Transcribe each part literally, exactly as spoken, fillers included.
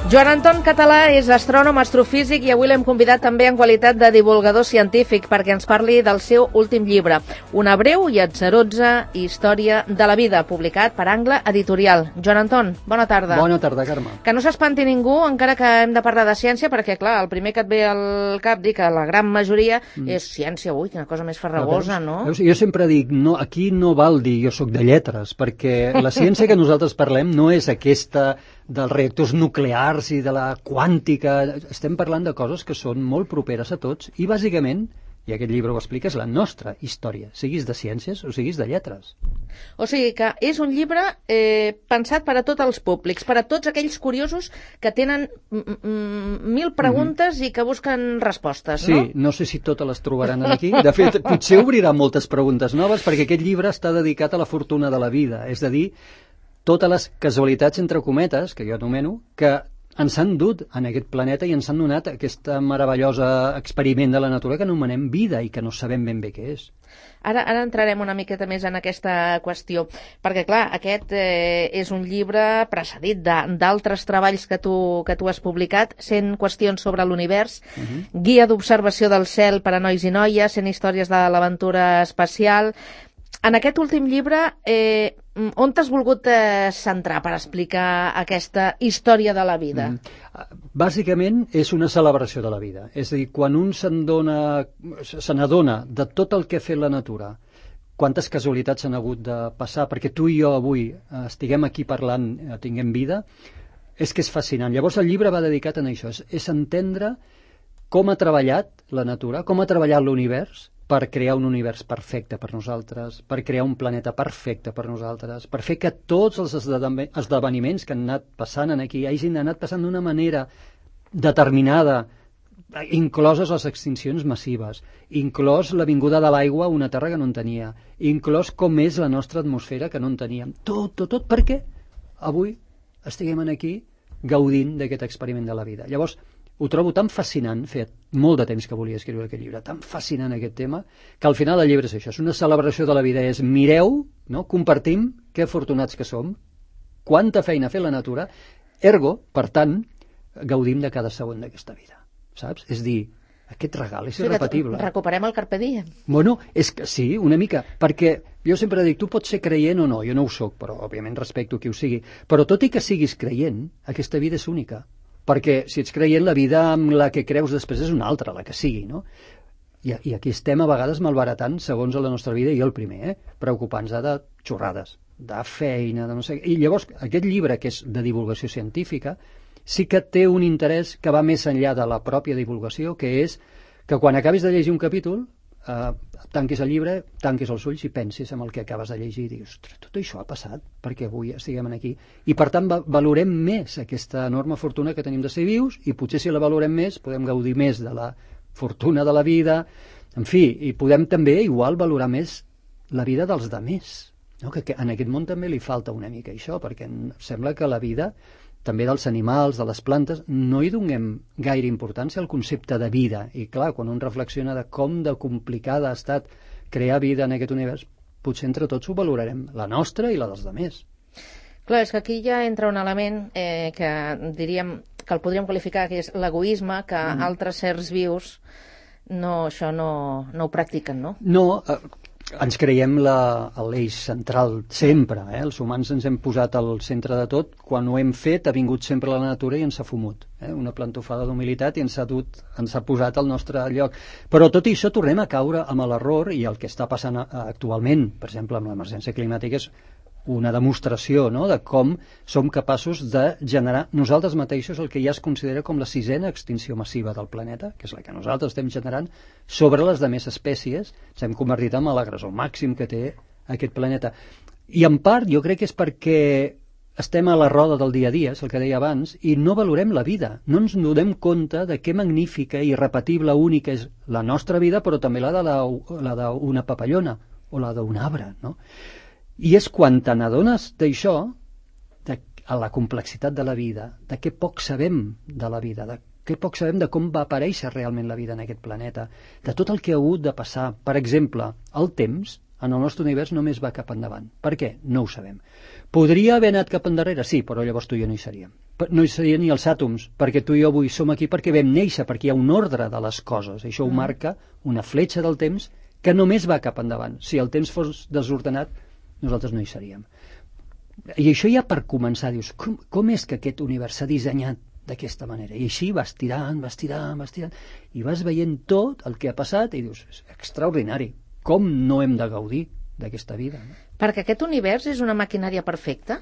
Joan Anton Català és astrònom, astrofísic i avui l'hem convidat també en qualitat de divulgador científic perquè ens parli del seu últim llibre, Una breu i atzarosa història de la vida, publicat per Angle Editorial. Joan Anton, bona tarda. Bona tarda, Carme. Que no s'espanti ningú, encara que hem de parlar de ciència, perquè, clar, el primer que et ve al cap dir que la gran majoria mm. és ciència, ui, quina cosa més farragosa, no? Veus? Jo sempre dic, no, aquí no val dir jo sóc de lletres, perquè la ciència que nosaltres parlem no és aquesta dels reactors nuclears i de la quàntica. Estem parlant de coses que són molt properes a tots i, bàsicament, i aquest llibre ho explica, és la nostra història, siguis de ciències o siguis de lletres. O sigui que és un llibre eh, pensat per a tots els públics, per a tots aquells curiosos que tenen mil preguntes mm-hmm. i que busquen respostes, no? Sí, no sé si totes les trobaran aquí. De fet, potser obrirà moltes preguntes noves, perquè aquest llibre està dedicat a la fortuna de la vida, és a dir, totes les casualitats, entre cometes, que jo anomeno, que ens han dut en aquest planeta i ens han donat aquesta meravellosa experiment de la natura que anomenem vida i que no sabem ben bé què és. Ara, ara entrarem una miqueta més en aquesta qüestió, perquè, clar, aquest eh, és un llibre precedit d'altres treballs que tu, que tu has publicat, cent qüestions sobre l'univers, uh-huh. guia d'observació del cel per a nois i noies, cent històries de l'aventura espacial. En aquest últim llibre, eh, on t'has volgut eh, centrar per explicar aquesta història de la vida? Mm. Bàsicament és una celebració de la vida. És a dir, quan un se n'adona de tot el que ha fet la natura, quantes casualitats han hagut de passar perquè tu i jo avui eh, estiguem aquí parlant, eh, tinguem vida, és que és fascinant. Llavors el llibre va dedicat a això, és, és entendre com ha treballat la natura, com ha treballat l'univers, per crear un univers perfecte per nosaltres, per crear un planeta perfecte per nosaltres, per fer que tots els esdeveniments que han anat passant aquí hagin anat passant d'una manera determinada, incloses les extincions massives, inclòs la vinguda de l'aigua a una terra que no en tenia, inclòs com és la nostra atmosfera que no en teníem. Tot, tot, tot, perquè avui estiguem aquí gaudint d'aquest experiment de la vida. Llavors, ho trobo tan fascinant, feia molt de temps que volia escriure aquest llibre, tan fascinant aquest tema, que al final el llibre és això, és una celebració de la vida, és mireu, no? Compartim que afortunats que som, quanta feina ha fet la natura, ergo, per tant, gaudim de cada segon d'aquesta vida, saps? És dir, aquest regal és irrepetible. Recuperem el carpe diem. Bueno, és que sí, una mica, perquè jo sempre dic, tu pots ser creient o no, jo no ho soc, però òbviament respecto qui ho sigui, però tot i que siguis creient, aquesta vida és única. Perquè si ets creient, la vida amb la que creus després és una altra, la que sigui, no? I, i aquí estem a vegades malbaratant segons la nostra vida, i jo el primer, eh? preocupant-nos de xorrades, de feina, de no sé... I llavors aquest llibre, que és de divulgació científica, sí que té un interès que va més enllà de la pròpia divulgació, que és que quan acabis de llegir un capítol, eh, tanquis el llibre, tanquis els ulls i pensis en el que acabes de llegir i dius, ostres, tot això ha passat perquè avui estiguem aquí. I per tant valorem més aquesta enorme fortuna que tenim de ser vius i potser si la valorem més podem gaudir més de la fortuna de la vida, en fi, i podem també igual valorar més la vida dels demés, no? que, que en aquest món també li falta una mica això, perquè sembla que la vida també dels animals, de les plantes, no hi donem gaire importància al concepte de vida. I clar, quan un reflexiona de com de complicada ha estat crear vida en aquest univers, potser entre tots ho valorarem, la nostra i la dels altres. Clar, és que aquí ja entra un element eh, que diríem que el podríem qualificar que és l'egoisme, que mm. altres sers vius no, això no, no ho practiquen, no? No, eh, ens creiem l'eix central sempre, eh? Els humans ens hem posat al centre de tot, quan ho hem fet ha vingut sempre la natura i ens ha fumut, eh? Una plantofada d'humilitat i ens ha, dut, ens ha posat al nostre lloc, però tot i això tornem a caure amb l'error, i el que està passant actualment, per exemple amb l'emergència climàtica, és una demostració, no?, de com som capaços de generar nosaltres mateixos el que ja es considera com la sisena extinció massiva del planeta, que és la que nosaltres estem generant sobre les demés espècies. Ens hem convertit en l'agressor màxim que té aquest planeta. I en part jo crec que és perquè estem a la roda del dia a dia, és el que deia abans, i no valorem la vida, no ens donem compte de què magnífica, irrepetible, única és la nostra vida, però també la d'una papallona o la d'un arbre, no? I és quan te n'adones d'això, de la complexitat de la vida, de què poc sabem de la vida, de què poc sabem de com va aparèixer realment la vida en aquest planeta, de tot el que ha hagut de passar. Per exemple, el temps en el nostre univers només va cap endavant. Per què? No ho sabem. Podria haver anat cap endarrere? Sí, però llavors tu i jo no hi seríem. No hi serien ni els àtoms, perquè tu i jo avui som aquí perquè vam néixer, perquè hi ha un ordre de les coses. Això ho marca una fletxa del temps que només va cap endavant. Si el temps fos desordenat, nosaltres no hi seríem. I això ja per començar, dius, com, com és que aquest univers s'ha dissenyat d'aquesta manera? I així vas tirant, vas tirant, vas tirant, i vas veient tot el que ha passat i dius, és extraordinari, com no hem de gaudir d'aquesta vida? No? Perquè aquest univers és una maquinària perfecta?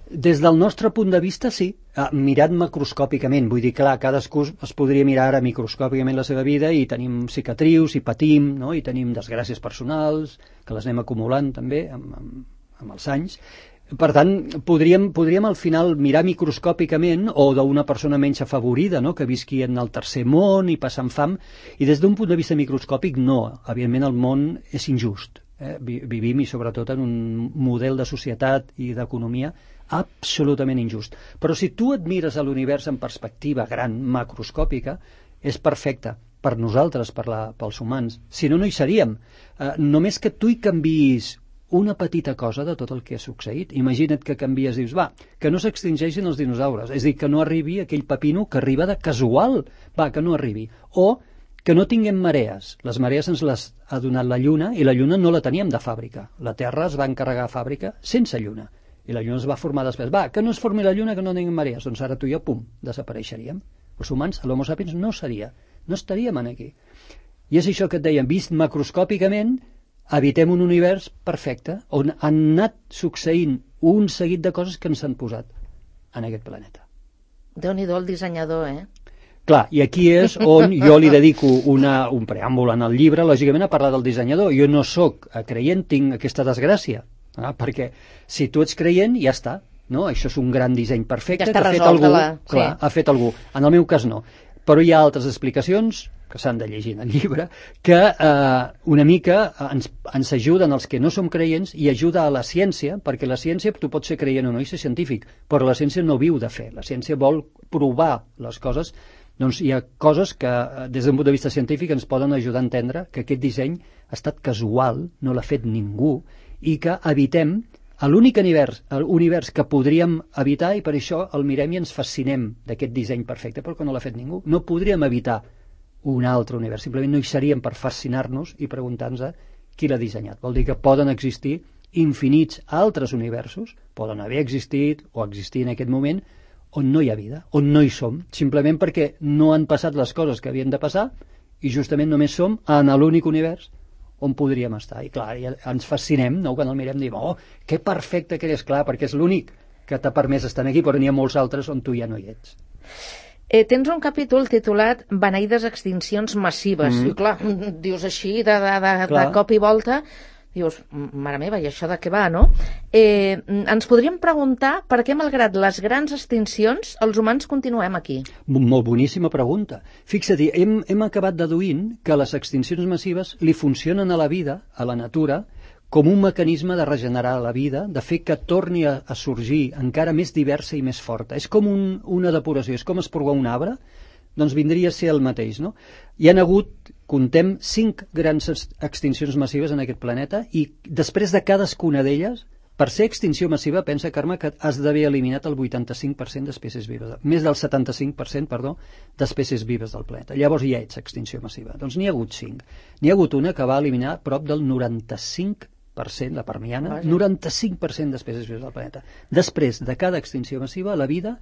Des del nostre punt de vista, sí. Ah, mirat macroscòpicament, vull dir, clar, cadascú es podria mirar ara microscòpicament la seva vida i tenim cicatrius, i patim, no? I tenim desgràcies personals, que les anem acumulant també amb, amb, amb els anys. Per tant, podríem, podríem al final mirar microscòpicament o d'una persona menys afavorida, no? Que visqui en el tercer món i passant fam, i des d'un punt de vista microscòpic no, evidentment el món és injust. Eh? Vivim i sobretot en un model de societat i d'economia absolutament injust. Però si tu et mires a l'univers en perspectiva gran, macroscòpica, és perfecte per nosaltres, per la, pels humans. Si no, no hi seríem. Eh, només que tu hi canviïs una petita cosa de tot el que ha succeït. Imagina't que canvies, dius, va, que no s'extingeixin els dinosaures, és a dir, que no arribi aquell pepino que arriba de casual, va, que no arribi. O que no tinguem marees. Les marees ens les ha donat la Lluna i la Lluna no la teníem de fàbrica. La Terra es va encarregar a fàbrica sense Lluna. I la Lluna es va formar després. Va, que no es formi la Lluna, que no tinguem marees. Doncs ara tu i jo, pum, desapareixeríem. Els humans, l'Homo sapiens, no seria. No estaríem aquí. I és això que et dèiem, vist macroscòpicament, habitem un univers perfecte, on han anat succeint un seguit de coses que ens han posat en aquest planeta. Déu-n'hi-do el dissenyador, eh? Clar, i aquí és on jo li dedico una, un preàmbul en el llibre, lògicament, a parlar del dissenyador. Jo no sóc creient, tinc aquesta desgràcia, eh? Perquè si tu ets creient, ja està. No? Això és un gran disseny perfecte ja que ha fet algú. La... Clar, sí. Ha fet algú. En el meu cas no. Però hi ha altres explicacions que s'han de llegir en el llibre, que eh, una mica ens, ens ajuden els que no som creients i ajuda a la ciència, perquè la ciència, tu pots ser creient o no i ser científic, però la ciència no viu de fer, la ciència vol provar les coses. Doncs hi ha coses que des d'un punt de vista científic ens poden ajudar a entendre que aquest disseny ha estat casual, no l'ha fet ningú, i que evitem a l'únic univers, univers que podríem evitar, i per això el mirem i ens fascinem d'aquest disseny perfecte, però que no l'ha fet ningú. No podríem evitar un altre univers, simplement no hi seríem per fascinar-nos i preguntar-nos qui l'ha dissenyat. Vol dir que poden existir infinits altres universos, poden haver existit o existir en aquest moment, on no hi ha vida, on no hi som, simplement perquè no han passat les coses que havien de passar i justament només som en l'únic univers on podríem estar. I clar, ens fascinem, no? Quan el mirem diem, oh, que perfecte que és, clar, perquè és l'únic que t'ha permès estar aquí, però n'hi ha molts altres on tu ja no hi ets. Eh, tens un capítol titulat Beneïdes extincions massives. Mm. I clar, dius així, de, de, de, de cop i volta, dius, mare meva, i això de què va, no? Eh, ens podríem preguntar per què, malgrat les grans extincions, els humans continuem aquí. Molt boníssima pregunta. Fixa-t'hi, hem, hem acabat deduint que les extincions massives li funcionen a la vida, a la natura, com un mecanisme de regenerar la vida, de fer que torni a, a sorgir encara més diversa i més forta. És com un, una depuració, és com esporgar un arbre, doncs vindria a ser el mateix, no? Hi han hagut, contem, cinc grans extincions massives en aquest planeta i després de cadascuna d'elles, per ser extinció massiva, pensa, Carme, que has d'haver eliminat el vuitanta-cinc per cent d'espècies vives, més del setanta-cinc per cent, perdó, d'espècies vives del planeta. Llavors ja ets extinció massiva. Doncs n'hi ha hagut cinc. N'hi ha hagut una que va eliminar prop del noranta-cinc per cent, la permiana, noranta-cinc per cent d'espècies vives del planeta. Després de cada extinció massiva, la vida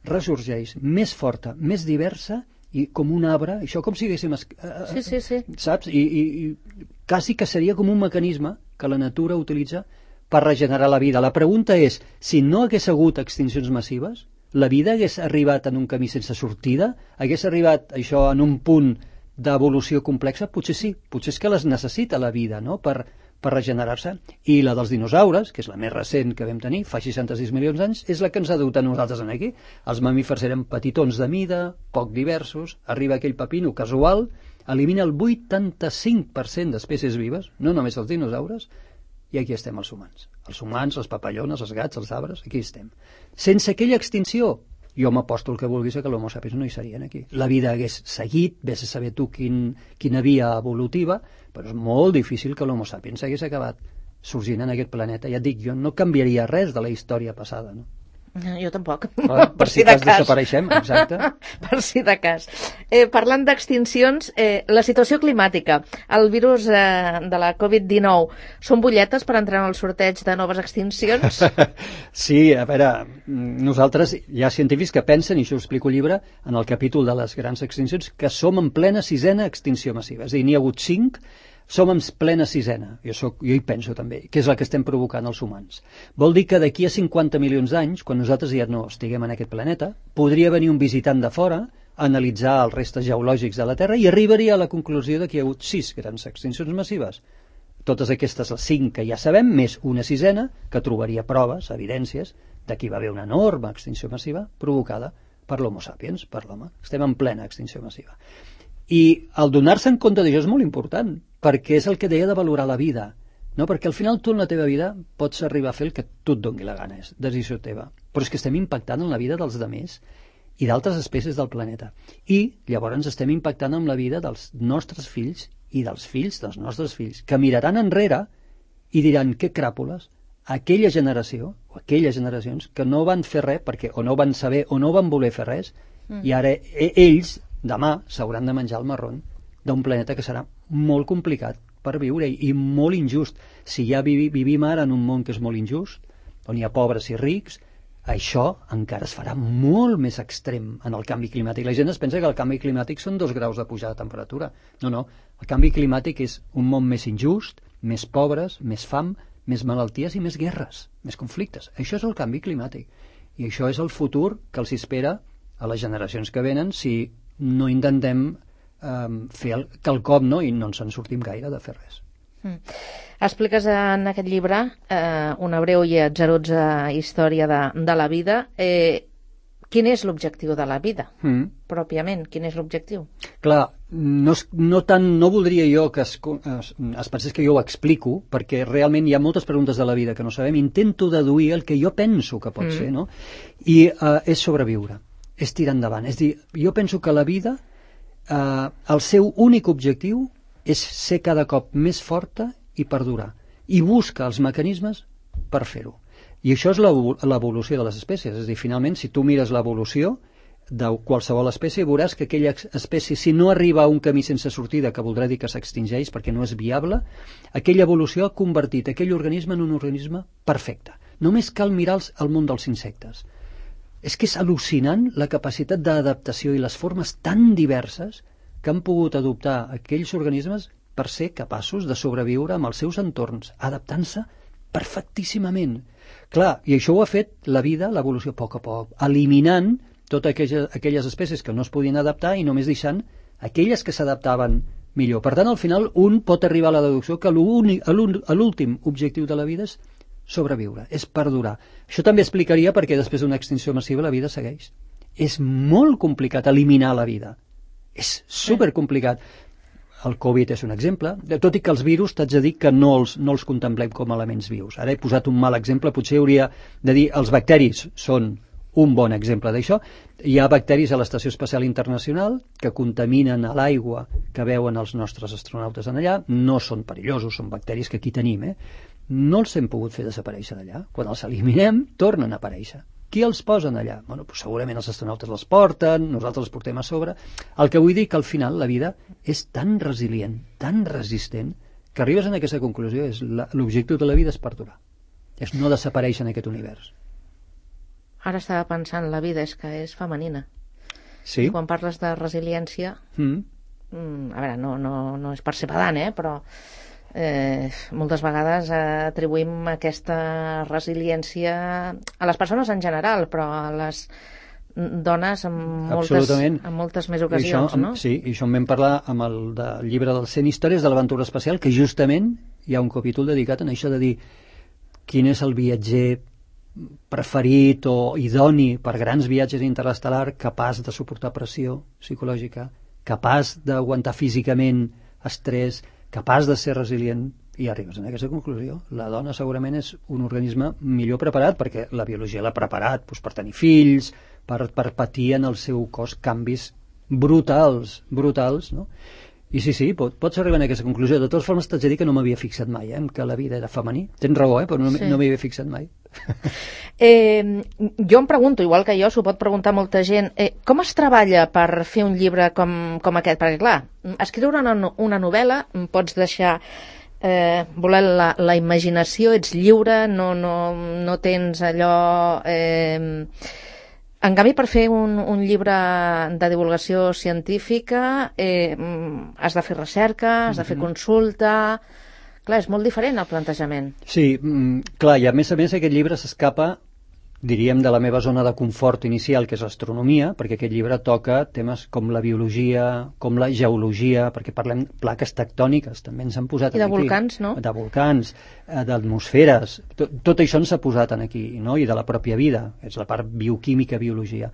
ressorgeix més forta, més diversa i com un arbre, això com si haguéssim... Eh, sí, sí, sí. Saps? I, i, i quasi que seria com un mecanisme que la natura utilitza per regenerar la vida. La pregunta és, si no hagués hagut extincions massives, la vida hagués arribat en un camí sense sortida? Hagués arribat això en un punt d'evolució complexa? Potser sí, potser és que les necessita la vida, no?, per, per regenerar-se. I la dels dinosaures, que és la més recent que vam tenir, fa seixanta-sis milions d'anys, és la que ens ha dut a nosaltres en aquí. Els mamífers eren petitons de mida, poc diversos, arriba aquell pepino casual, elimina el vuitanta-cinc per cent d'espècies vives, no només els dinosaures, i aquí estem els humans. Els humans, les papallones, els gats, els arbres, aquí estem. Sense aquella extinció, jo m'aposto el que vulguis a que l'Homo sapiens no hi serien aquí. La vida hagués seguit, vés a saber tu quin, quina via evolutiva, però és molt difícil que l'Homo sapiens hagués acabat sorgint en aquest planeta. Ja et dic, jo no canviaria res de la història passada, no? Jo tampoc. Per, per si de cas desapareixem, exacte. Per si de cas. Eh, parlant d'extincions, eh, la situació climàtica, el virus eh, de la covid dinou, són butlletes per entrar en el sorteig de noves extincions? Sí, a veure, nosaltres hi ha científics que pensen, i això ho explico al llibre, en el capítol de les grans extincions, que som en plena sisena extinció massiva. És a dir, n'hi ha hagut cinc, som en plena sisena, jo, soc, jo hi penso també, que és la que estem provocant els humans. Vol dir que d'aquí a cinquanta milions d'anys, quan nosaltres ja no estiguem en aquest planeta, podria venir un visitant de fora a analitzar els restes geològics de la Terra i arribaria a la conclusió que hi ha hagut sis grans extincions massives. Totes aquestes, les cinc que ja sabem, més una sisena, que trobaria proves, evidències, de que hi va haver una enorme extinció massiva provocada per l'Homo sapiens, per l'home. Estem en plena extinció massiva. I el donar-se en compte d'això és molt important, perquè és el que deia de valorar la vida, no? Perquè al final tu en la teva vida pots arribar a fer el que tu et doni la gana, és decisió teva, però és que estem impactant en la vida dels demés i d'altres espècies del planeta, i llavors estem impactant en la vida dels nostres fills i dels fills dels nostres fills, que miraran enrere i diran, què cràpules, aquella generació o aquelles generacions que no van fer res perquè o no van saber o no van voler fer res, mm. i ara ells demà s'hauran de menjar el marrón d'un planeta que serà molt complicat per viure i molt injust. Si ja vivi, vivim ara en un món que és molt injust, on hi ha pobres i rics, això encara es farà molt més extrem en el canvi climàtic. La gent es pensa que el canvi climàtic són dos graus de pujada de temperatura. No, no. El canvi climàtic és un món més injust, més pobres, més fam, més malalties i més guerres, més conflictes. Això és el canvi climàtic. I això és el futur que els espera a les generacions que venen si no intentem eh, fer el, quelcom, no? I no ens en sortim gaire de fer res. Mm. Expliques en aquest llibre eh, una breu i atzarosa història de, de la vida. Eh, quin és l'objectiu de la vida, mm. pròpiament? Quin és l'objectiu? Clar, no, no, tant, no voldria jo que es, es, es pensés que jo ho explico, perquè realment hi ha moltes preguntes de la vida que no sabem. Intento deduir el que jo penso que pot mm. ser, no? I eh, és sobreviure. És tirar endavant. És dir, jo penso que la vida, eh, el seu únic objectiu és ser cada cop més forta i perdurar. I busca els mecanismes per fer-ho. I això és l'evolució de les espècies. És a dir, finalment, si tu mires l'evolució de qualsevol espècie, veuràs que aquella espècie, si no arriba a un camí sense sortida, que voldrà dir que s'extingeix perquè no és viable, aquella evolució ha convertit aquell organisme en un organisme perfecte. Només cal mirar el món dels insectes. És que és al·lucinant la capacitat d'adaptació i les formes tan diverses que han pogut adoptar aquells organismes per ser capaços de sobreviure amb els seus entorns, adaptant-se perfectíssimament. Clar, i això ho ha fet la vida, l'evolució, a poc a poc, eliminant totes aquelles, aquelles espècies que no es podien adaptar i només deixant aquelles que s'adaptaven millor. Per tant, al final, un pot arribar a la deducció que l'últim objectiu de la vida és sobreviure, és perdurar. Això també explicaria perquè després d'una extinció massiva la vida segueix. És molt complicat eliminar la vida. És supercomplicat. El Covid és un exemple, tot i que els virus t'haig de dir que no els, no els contemplem com a elements vius. Ara he posat un mal exemple, potser hauria de dir els bacteris són un bon exemple d'això. Hi ha bacteris a l'Estació Espacial Internacional que contaminen a l'aigua que veuen els nostres astronautes en allà, no són perillosos, són bacteris que aquí tenim, eh? No els hem pogut fer desaparèixer d'allà. Quan els eliminem, tornen a aparèixer. Qui els posen allà? Bueno, doncs segurament els astronautes els porten, nosaltres els portem a sobre. El que vull dir que al final la vida és tan resilient, tan resistent, que arribes a aquesta conclusió, és l'objectiu de la vida és perdurar. És no desaparèixer en aquest univers. Ara estava pensant, la vida és que és femenina. Sí. Quan parles de resiliència, mm. Mm, a veure, no, no, no és per ser pedant, eh, però eh, moltes vegades eh, atribuïm aquesta resiliència a les persones en general, però a les dones en moltes, en moltes més ocasions, això, no? Sí, i això en vam parlar amb el del llibre dels cent històries de l'aventura espacial, que justament hi ha un capítol dedicat a això de dir quin és el viatger preferit o idoni per grans viatges interestel·lar, capaç de suportar pressió psicològica, capaç d'aguantar físicament estrès, capaç de ser resilient, i arribes a aquesta conclusió. La dona segurament és un organisme millor preparat, perquè la biologia l'ha preparat doncs, per tenir fills, per, per patir en el seu cos canvis brutals, brutals, no? I sí, sí, pot, pots arribar a aquesta conclusió. De totes formes, t'haig de dir que no m'havia fixat mai, eh, que la vida era femení. Tens raó, eh, però no, sí. no m'hi havia fixat mai. Eh, jo em pregunto, igual que jo, s'ho pot preguntar molta gent, eh, com es treballa per fer un llibre com, com aquest? Perquè, clar, escriure una, una novel·la pots deixar eh, voler la, la imaginació, ets lliure, no, no, no tens allò... Eh, En canvi, per fer un, un llibre de divulgació científica eh, has de fer recerca, has de fer consulta... Clar, és molt diferent el plantejament. Sí, clar, i a més a més aquest llibre s'escapa, diríem, de la meva zona de confort inicial, que és l'astronomia, perquè aquest llibre toca temes com la biologia, com la geologia, perquè parlem plaques tectòniques, també ens han posat I de aquí. volcans, no? De volcans, d'atmosferes, tot, tot això ens ha posat aquí, no? I de la pròpia vida, és la part bioquímica, biologia.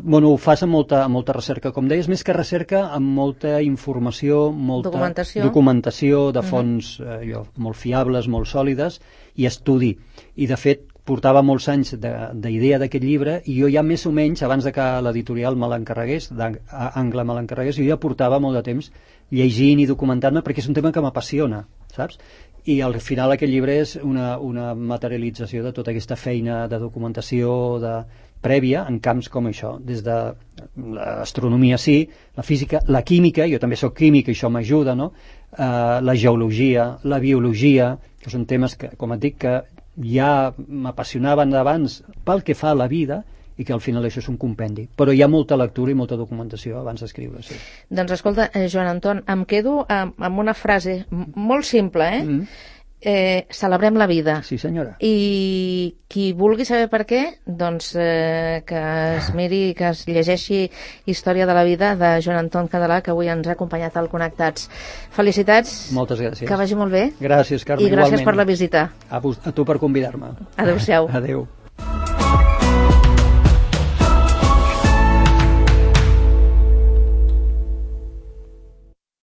Bueno, ho fas amb molta, amb molta recerca, com deies, més que recerca, amb molta informació, molta documentació, documentació de fonts uh -huh. eh, jo, molt fiables, molt sòlides, i estudi. I, de fet, portava molts anys d'idea d'aquest llibre i jo ja més o menys, abans de que l'editorial me l'encarregués, d'Angle me l'encarregués, jo ja portava molt de temps llegint i documentant-me perquè és un tema que m'apassiona, saps? I al final aquest llibre és una, una materialització de tota aquesta feina de documentació de, prèvia en camps com això, des de l'astronomia sí, la física, la química, jo també sóc químic i això m'ajuda, no? Uh, la geologia, la biologia, que són temes que, com et dic, que ja m'apassionaven d'abans pel que fa a la vida i que al final això és un compendi. Però hi ha molta lectura i molta documentació abans d'escriure, sí. Doncs escolta, eh, Joan Anton, em quedo amb, amb una frase molt simple, eh? Mm. Eh, celebrem la vida. Sí, senyora. I qui vulgui saber per què, doncs eh, que es miri, que es llegeixi Història de la vida de Joan Anton Català, que avui ens ha acompanyat al Connectats. Felicitats. Moltes gràcies. Que vagi molt bé. Gràcies, Carme. I gràcies igualment. Per la visita. A, a tu per convidar-me. Adéu-siau. Adéu.